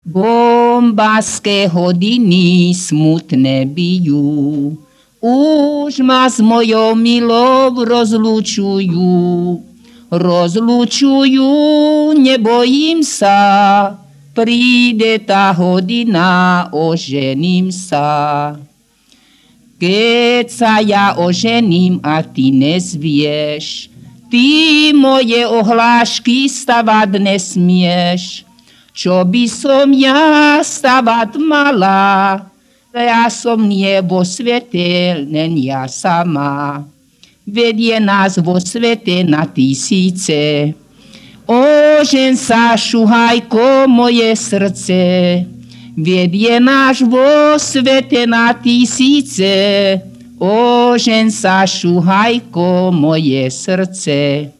Bombaské hodiny smutné bijú, už ma s mojou milou rozlučujú. Rozlučujú, nebojím sa, príde tá hodina, ožením sa. Keď sa ja ožením a ty nezvieš, ty moje ohlášky stavať nesmieš. Čo by som ja stavať mala, ja som nie vo svete, len ja sama. Vedie nás vo svete na tisíce. Ožen sa, šuhajko, moje srdce. Vedie nás vo svete na tisíce. Ožen sa, šuhajko, moje srdce.